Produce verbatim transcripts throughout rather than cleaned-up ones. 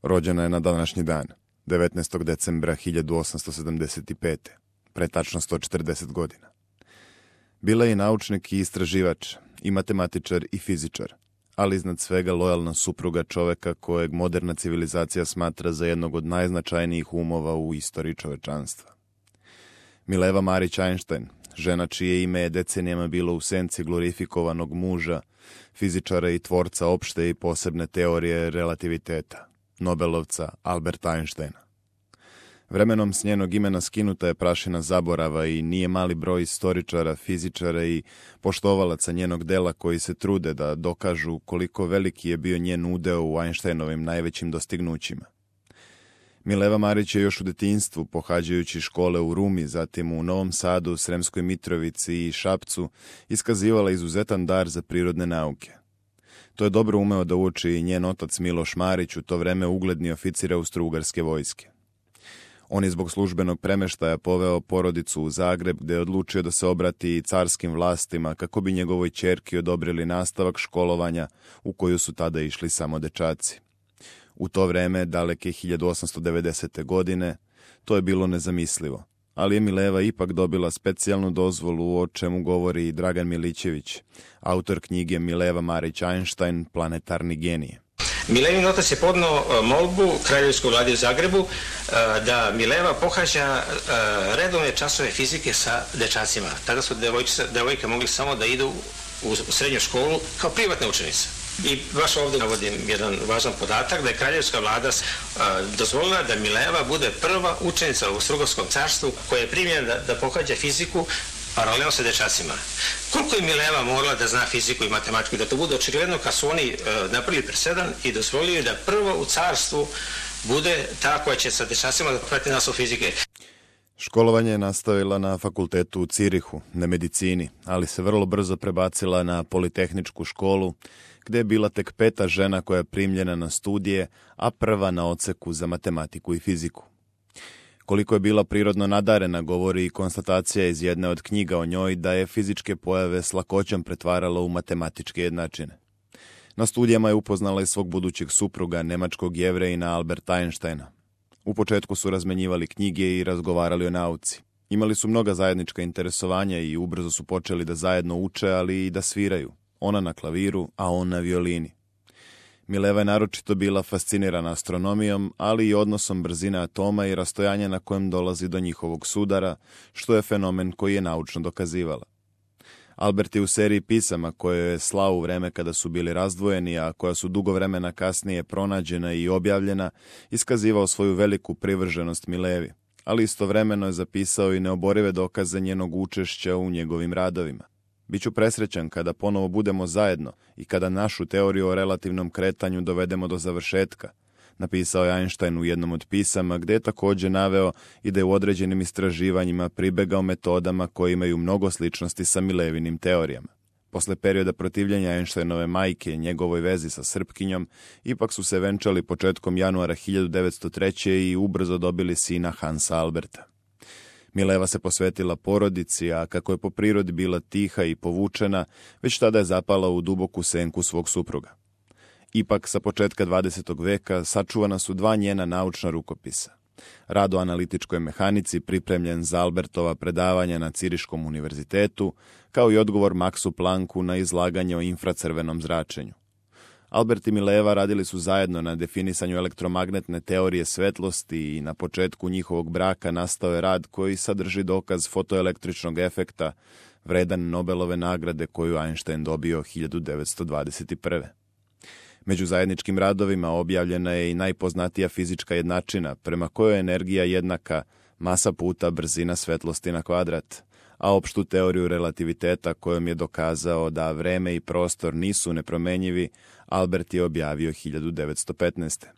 Rođena je na današnji dan, devetnaestog decembra hiljadu osamsto sedamdeset pete, pre tačno sto četrdeset godina. Bila je i naučnik i istraživač, i matematičar i fizičar, ali iznad svega lojalna supruga čoveka kojeg moderna civilizacija smatra za jednog od najznačajnijih umova u istoriji čovečanstva. Mileva Marić Einstein, žena čije ime je decenijama bilo u senci glorifikovanog muža, fizičara i tvorca opšte i posebne teorije relativiteta, Nobelovca Alberta Einsteina. Vremenom s njenog imena skinuta je prašina zaborava i nije mali broj istoričara, fizičara i poštovalaca njenog dela koji se trude da dokažu koliko veliki je bio njen udeo u Einsteinovim najvećim dostignućima. Mileva Marić je još u detinjstvu, pohađajući škole u Rumi, zatim u Novom Sadu, Sremskoj Mitrovici i Šapcu, iskazivala izuzetan dar za prirodne nauke. To je dobro umeo da uči i njen otac Miloš Marić, u to vreme ugledni oficir Austro-Ugarske vojske. On je zbog službenog premeštaja poveo porodicu u Zagreb, gde je odlučio da se obrati i carskim vlastima kako bi njegovoj ćerki odobrili nastavak školovanja u koju su tada išli samo dečaci. U to vreme, daleke hiljadu osamsto devedesete. godine, to je bilo nezamislivo, ali je Mileva ipak dobila specijalnu dozvolu, o čemu govori i Dragan Milićević, autor knjige Mileva Marić Einstein, Planetarni genije. Milevin otac je podneo molbu Kraljevskoj vladi u Zagrebu da Mileva pohađa redovne časove fizike sa dečacima. Tada su devojke mogli samo da idu u srednju školu kao privatne učenice. I baš ovdje navodim jedan važan podatak da je Kraljevska vlada dozvolila da Mileva bude prva učenica u Austro-Ugarskom carstvu koja je primljena da, da pohađa fiziku paralelno sa dečacima. Koliko je Mileva morala da zna fiziku i matematiku i da to bude očigledno kad su oni napravili presedan i dozvolili da prva u carstvu bude ta koja će sa dečacima da prati nastavu fizike. Školovanje je nastavila na fakultetu u Cirihu, na medicini, ali se vrlo brzo prebacila na Politehničku školu, gde je bila tek peta žena koja je primljena na studije, a prva na odseku za matematiku i fiziku. Koliko je bila prirodno nadarena, govori i konstatacija iz jedne od knjiga o njoj da je fizičke pojave s lakoćom pretvarala u matematičke jednačine. Na studijama je upoznala i svog budućeg supruga, nemačkog Jevrejina Alberta Einsteina. U početku su razmenjivali knjige i razgovarali o nauci. Imali su mnoga zajednička interesovanja i ubrzo su počeli da zajedno uče, ali i da sviraju. Ona na klaviru, a on na violini. Mileva je naročito bila fascinirana astronomijom, ali i odnosom brzine atoma i rastojanja na kojem dolazi do njihovog sudara, što je fenomen koji je naučno dokazivala. Albert je u seriji pisama koje je slao u vreme kada su bili razdvojeni, a koja su dugo vremena kasnije pronađena i objavljena, iskazivao svoju veliku privrženost Milevi, ali istovremeno je zapisao i neoborive dokaze njenog učešća u njegovim radovima. Biću presrećan kada ponovo budemo zajedno i kada našu teoriju o relativnom kretanju dovedemo do završetka, napisao je Einstein u jednom od pisama, gde je također naveo i da je u određenim istraživanjima pribegao metodama koje imaju mnogo sličnosti sa Milevinim teorijama. Posle perioda protivljenja Einsteinove majke i njegovoj vezi sa Srpkinjom, ipak su se venčali početkom januara hiljadu devetsto treće. i ubrzo dobili sina Hansa Alberta. Mileva se posvetila porodici, a kako je po prirodi bila tiha i povučena, već tada je zapala u duboku senku svog supruga. Ipak, sa početka dvadesetog veka sačuvana su dva njena naučna rukopisa. Rad o analitičkoj mehanici pripremljen za Albertova predavanja na Ciriškom univerzitetu, kao i odgovor Maxu Plancku na izlaganje o infracrvenom zračenju. Albert i Mileva radili su zajedno na definisanju elektromagnetne teorije svetlosti i na početku njihovog braka nastao je rad koji sadrži dokaz fotoelektričnog efekta, vredan Nobelove nagrade koju Einstein dobio hiljadu devetsto dvadeset prve. Među zajedničkim radovima objavljena je i najpoznatija fizička jednačina, prema kojoj je energija jednaka masa puta brzina svetlosti na kvadrat, a opštu teoriju relativiteta kojom je dokazao da vreme i prostor nisu nepromenjivi, Albert je objavio hiljadu devetsto petnaeste.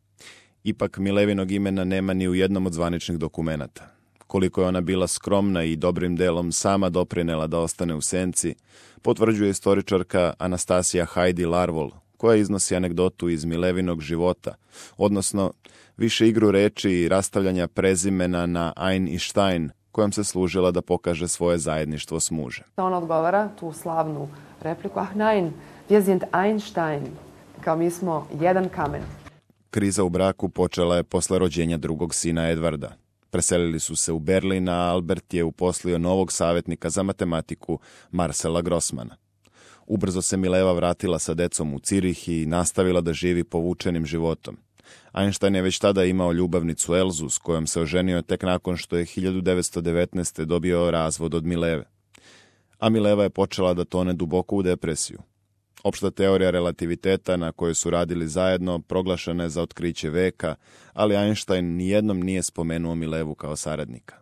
Ipak Milevinog imena nema ni u jednom od zvaničnih dokumenata. Koliko je ona bila skromna i dobrim delom sama doprinela da ostane u senci, potvrđuje istoričarka Anastasija Heidi Larvol, koja iznosi anegdotu iz Milevinog života, odnosno više igru reči i rastavljanja prezimena na Ein i Stein, kojom se služila da pokaže svoje zajedništvo s mužem. Ona odgovara tu slavnu repliku, ah nein, wir sind Einstein, kao mi smo jedan kamen. Kriza u braku počela je posle rođenja drugog sina Edvarda. Preselili su se u Berlin, a Albert je uposlio novog savjetnika za matematiku Marcela Grossmana. Ubrzo se Mileva vratila sa decom u Cirih i nastavila da živi povučenim životom. Einstein je već tada imao ljubavnicu Elzu, s kojom se oženio tek nakon što je hiljadu devetsto devetnaeste. dobio razvod od Mileve. A Mileva je počela da tone duboko u depresiju. Opšta teorija relativiteta na kojoj su radili zajedno proglašena je za otkriće veka, ali Einstein nijednom nije spomenuo Milevu kao saradnika.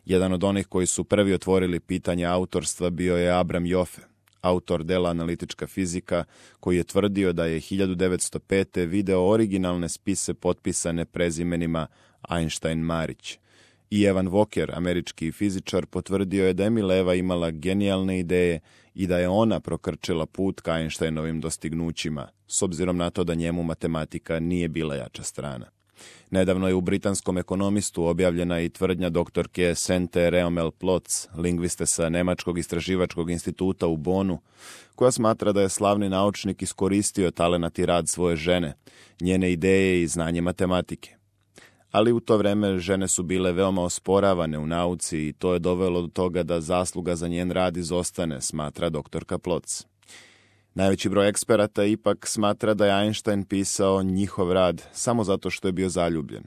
Jedan od onih koji su prvi otvorili pitanje autorstva bio je Abram Joffe, autor dela Analitička fizika, koji je tvrdio da je hiljadu devetsto pete. video originalne spise potpisane prezimenima Einstein-Marić. I Evan Walker, američki fizičar, potvrdio je da je Mileva imala genijalne ideje i da je ona prokrčila put ka Einsteinovim dostignućima, s obzirom na to da njemu matematika nije bila jača strana. Nedavno je u britanskom ekonomistu objavljena i tvrdnja doktorke Sente Reomel-Plotz, lingviste sa Nemačkog istraživačkog instituta u Bonu, koja smatra da je slavni naučnik iskoristio talenat i rad svoje žene, njene ideje i znanje matematike. Ali u to vreme žene su bile veoma osporavane u nauci i to je dovelo do toga da zasluga za njen rad izostane, smatra doktorka Plotz. Najveći broj eksperata ipak smatra da je Einstein pisao njihov rad samo zato što je bio zaljubljen.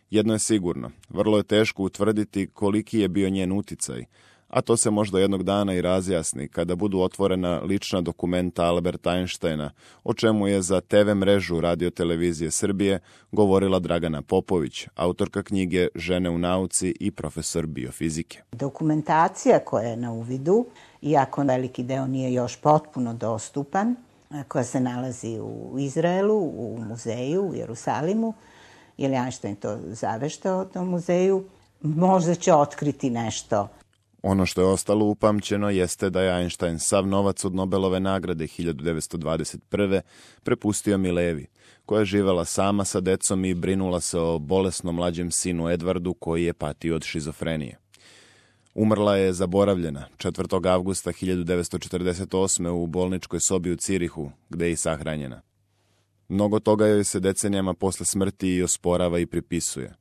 Jedno je sigurno, vrlo je teško utvrditi koliki je bio njen uticaj, a to se možda jednog dana i razjasni kada budu otvorena lična dokumenta Alberta Einsteina, o čemu je za te ve mrežu Radio-televizije Srbije govorila Dragana Popović, autorka knjige Žene u nauci i profesor biofizike. Dokumentacija koja je na uvidu, iako veliki deo nije još potpuno dostupan, koja se nalazi u Izraelu, u muzeju u Jerusalimu, jer je Einstein to zaveštao o tom muzeju, možda će otkriti nešto. Ono što je ostalo upamćeno jeste da je Einstein sav novac od Nobelove nagrade hiljadu devetsto dvadeset prve. prepustio Milevi, koja je živela sama sa decom i brinula se o bolesnom mlađem sinu Edvardu koji je patio od šizofrenije. Umrla je zaboravljena četvrtog avgusta hiljadu devetsto četrdeset osme. u bolničkoj sobi u Cirihu, gde je i sahranjena. Mnogo toga joj se decenijama posle smrti i osporava i pripisuje.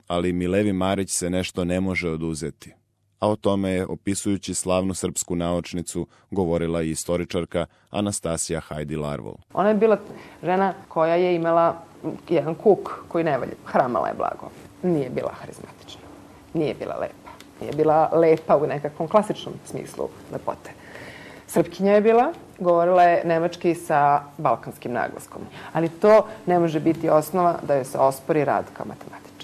Ali Milevi Marić se nešto ne može oduzeti. A o tome je, opisujući slavnu srpsku naučnicu, govorila i istoričarka Anastasija Hajdi-Larvol. Ona je bila žena koja je imala jedan kuk koji ne valja. Hramala je blago. Nije bila harizmatična. Nije bila lepa. Nije bila lepa u nekakvom klasičnom smislu lepote. Srpkinja je bila, govorila je nemački sa balkanskim naglaskom. Ali to ne može biti osnova da joj se ospori rad kao matematičar.